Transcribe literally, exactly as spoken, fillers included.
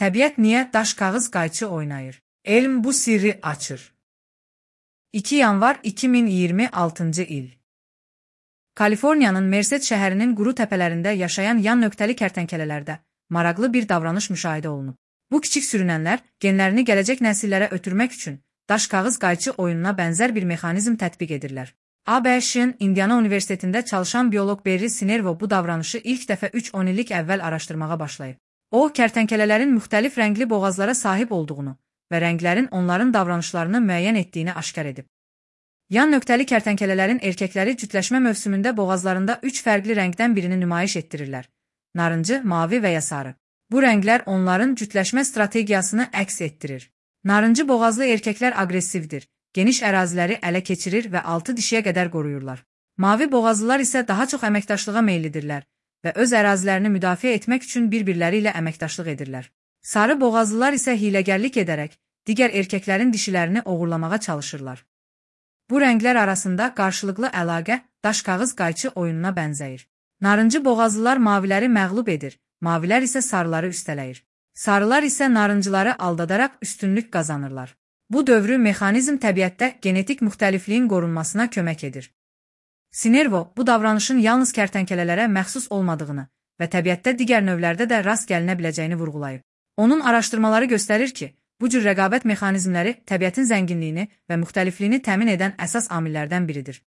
Təbiət niyə daş kağız qayçı oynayır? Elm bu sirri açır. iki yanvar iki min iyirmi altıncı il. Kaliforniyanın Merced şəhərinin quru təpələrində yaşayan yan nöqtəli kərtənkələlərdə maraqlı bir davranış müşahidə olunub. Bu kiçik sürünənlər genlərini gələcək nəsillərə ötürmək üçün daş kağız qayçı oyununa bənzər bir mexanizm tətbiq edirlər. A B Ş'in Indiana Universitetində çalışan bioloq Barry Sinervo bu davranışı ilk dəfə üç on illik əvvəl araşdırmağa başlayıb. O, kərtənkələlərin müxtəlif rəngli boğazlara sahib olduğunu və rənglərin onların davranışlarını müəyyən etdiyini aşkar edib. Yan nöqtəli kərtənkələlərin erkəkləri cütləşmə mövsümündə boğazlarında üç fərqli rəngdən birini nümayiş etdirirlər: narıncı, mavi və ya sarı. Bu rənglər onların cütləşmə strategiyasını əks etdirir. Narıncı boğazlı erkəklər aqressivdir, geniş əraziləri ələ keçirir və altı dişiyə qədər qoruyurlar. Mavi boğazlılar isə daha çox əməkdaşlığa meyillidirlər və öz ərazilərini müdafiə etmək üçün bir-birləri ilə əməkdaşlıq edirlər. Sarı boğazlılar isə hiləgərlik edərək digər erkəklərin dişilərini oğurlamağa çalışırlar. Bu rənglər arasında qarşılıqlı əlaqə daş kağız qayçı oyununa bənzəyir. Narıncı boğazlılar maviləri məğlub edir, mavilər isə sarıları üstələyir. Sarılar isə narıncıları aldadaraq üstünlük qazanırlar. Bu dövrü mexanizm təbiətdə genetik müxtəlifliyin qorunmasına kömək edir. Sinervo bu davranışın yalnız kərtənkələlərə məxsus olmadığını və təbiətdə digər növlərdə də rast gəlinə biləcəyini vurğulayıb. Onun araşdırmaları göstərir ki, bu cür rəqabət mexanizmləri təbiətin zənginliyini və müxtəlifliyini təmin edən əsas amillərdən biridir.